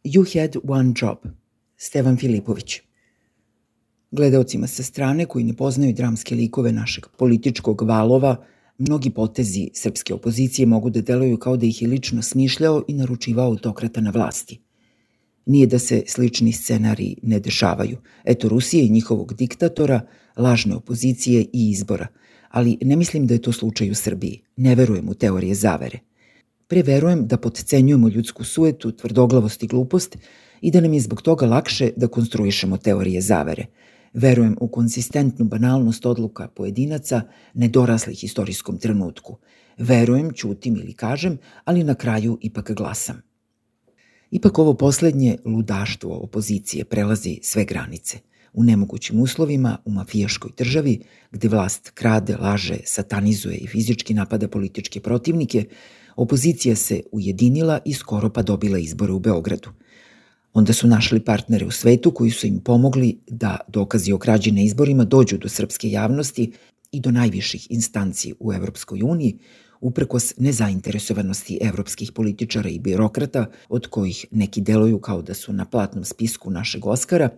You had one job. Stevan Filipović. Gledaocima sa strane koji ne poznaju dramske likove našeg političkog valova, mnogi potezi srpske opozicije mogu da deluju kao da ih je lično smišljao i naručivao autokrata na vlasti. Nije da se slični scenariji ne dešavaju. Eto Rusije i njihovog diktatora, lažne opozicije i izbora. Ali ne mislim da je to slučaj u Srbiji. Ne verujem u teorije zavere. Pre verujem da potcenjujemo ljudsku sujetu, tvrdoglavost i glupost i da nam je zbog toga lakše da konstruišemo teorije zavere. Verujem u konsistentnu banalnost odluka pojedinaca nedoraslih istorijskom trenutku. Verujem, ćutim ili kažem, ali na kraju ipak glasam. Ipak ovo poslednje ludaštvo opozicije prelazi sve granice. U nemogućim uslovima, u mafijaškoj državi, gde vlast krade, laže, satanizuje i fizički napada političke protivnike, opozicija se ujedinila i skoro pa dobila izbore u Beogradu. Onda su našli partnere u svetu koji su im pomogli da dokazi o krađi na izborima dođu do srpske javnosti i do najviših instanci u Evropskoj uniji, uprkos nezainteresovanosti evropskih političara i birokrata, od kojih neki deluju kao da su na platnom spisku našeg Oskara,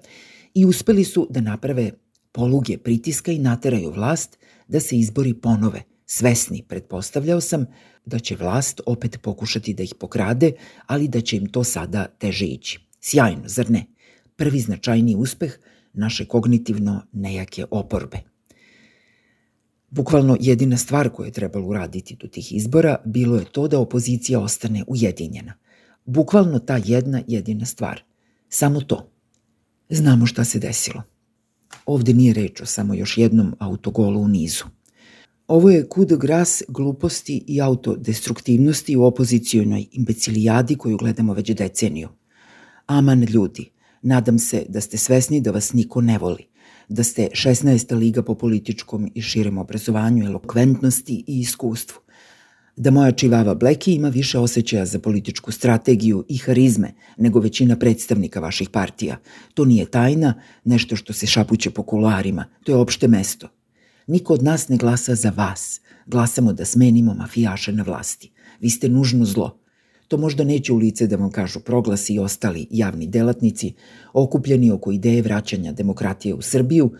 i uspeli su da naprave poluge pritiska i nateraju vlast da se izbori ponove, svesni, pretpostavljao sam, da će vlast opet pokušati da ih pokrade, ali da će im to sada teže ići. Sjajno, zar ne? Prvi značajniji uspeh naše kognitivno nejake oporbe. Bukvalno jedina stvar koju je trebalo uraditi do tih izbora bilo je to da opozicija ostane ujedinjena. Bukvalno ta jedna jedina stvar. Samo to. Znamo šta se desilo. Ovde nije reč o samo još jednom autogolu u nizu. Ovo je coup de grâce gluposti i autodestruktivnosti u opozicijonoj imbecilijadi koju gledamo već deceniju. Aman ljudi, nadam se da ste svesni da vas niko ne voli, da ste 16. liga po političkom i širem obrazovanju, elokventnosti i iskustvu, da moja čivava Bleki ima više osjećaja za političku strategiju i harizme nego većina predstavnika vaših partija. To nije tajna, nešto što se šapuće po kuloarima, to je opšte mesto. Niko od nas ne glasa za vas, glasamo da smenimo mafijaše na vlasti. Vi ste nužno zlo. To možda neće u lice da vam kažu Proglasi i ostali javni delatnici, okupljeni oko ideje vraćanja demokratije u Srbiju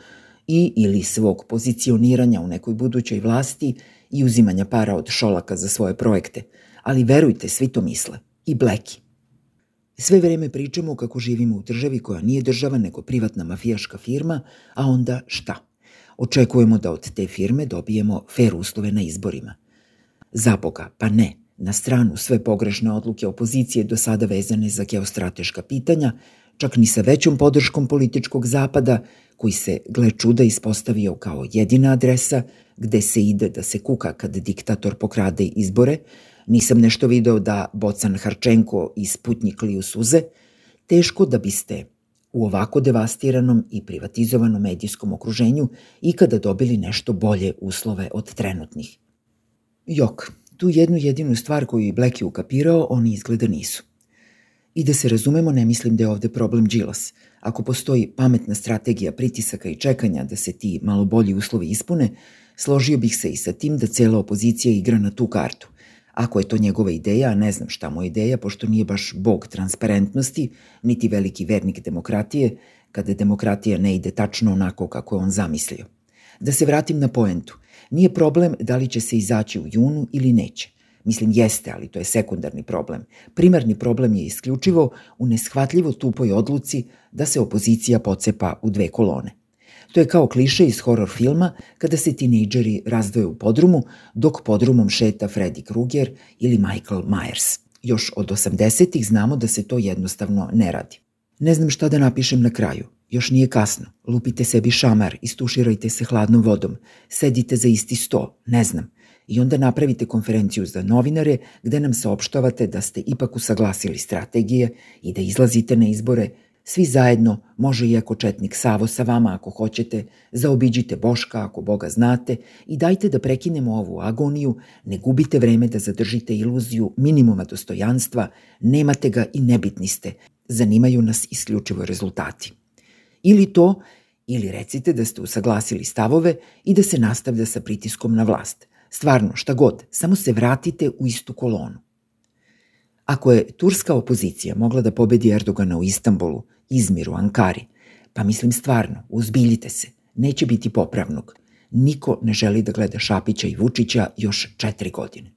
i ili svog pozicioniranja u nekoj budućoj vlasti i uzimanja para od Šolaka za svoje projekte. Ali verujte, svi to misle. I Bleki. Sve vreme pričamo kako živimo u državi koja nije država nego privatna mafijaška firma, a onda šta? Očekujemo da od te firme dobijemo fer uslove na izborima. Zaboga, pa ne. Na stranu sve pogrešne odluke opozicije do sada vezane za geostrateška pitanja, čak ni sa većom podrškom političkog zapada, koji se, gle čuda, ispostavio kao jedina adresa gde se ide da se kuka kad diktator pokrade izbore, nisam nešto video da Bocan Harčenko i Sputnjik liju suze, teško da biste u ovako devastiranom i privatizovanom medijskom okruženju ikada dobili nešto bolje uslove od trenutnih. Jok. Tu jednu jedinu stvar koju je Bleki ukapirao, oni izgleda nisu. I da se razumemo, ne mislim da je ovde problem Đilas. Ako postoji pametna strategija pritisaka i čekanja da se ti malo bolji uslovi ispune, složio bih se i sa tim da cela opozicija igra na tu kartu. Ako je to njegova ideja, a ne znam šta mu je ideja, pošto nije baš bog transparentnosti, niti veliki vernik demokratije, kada demokratija ne ide tačno onako kako je on zamislio. Da se vratim na poentu. Nije problem da li će se izaći u junu ili neće. Mislim, jeste, ali to je sekundarni problem. Primarni problem je isključivo u neshvatljivo tupoj odluci da se opozicija pocepa u dve kolone. To je kao kliše iz horor filma kada se tinejdžeri razdvoje u podrumu, dok podrumom šeta Freddy Krueger ili Michael Myers. Još od 80-ih znamo da se to jednostavno ne radi. Ne znam šta da napišem na kraju. Još nije kasno. Lupite sebi šamar, istuširajte se hladnom vodom, sedite za isti sto, ne znam. I onda napravite konferenciju za novinare gde nam saopštavate da ste ipak usaglasili strategije i da izlazite na izbore. Svi zajedno, može i ako četnik Savo sa vama ako hoćete, zaobiđite Boška ako Boga znate i dajte da prekinemo ovu agoniju, ne gubite vreme da zadržite iluziju minimuma dostojanstva, nemate ga i nebitni ste, zanimaju nas isključivo rezultati. Ili to, ili recite da ste usaglasili stavove i da se nastavlja sa pritiskom na vlast. Stvarno, šta god, samo se vratite u istu kolonu. Ako je turska opozicija mogla da pobedi Erdogana u Istanbulu, Izmiru, Ankari, pa mislim stvarno, uzbiljite se, neće biti popravnog. Niko ne želi da gleda Šapića i Vučića još 4 godine.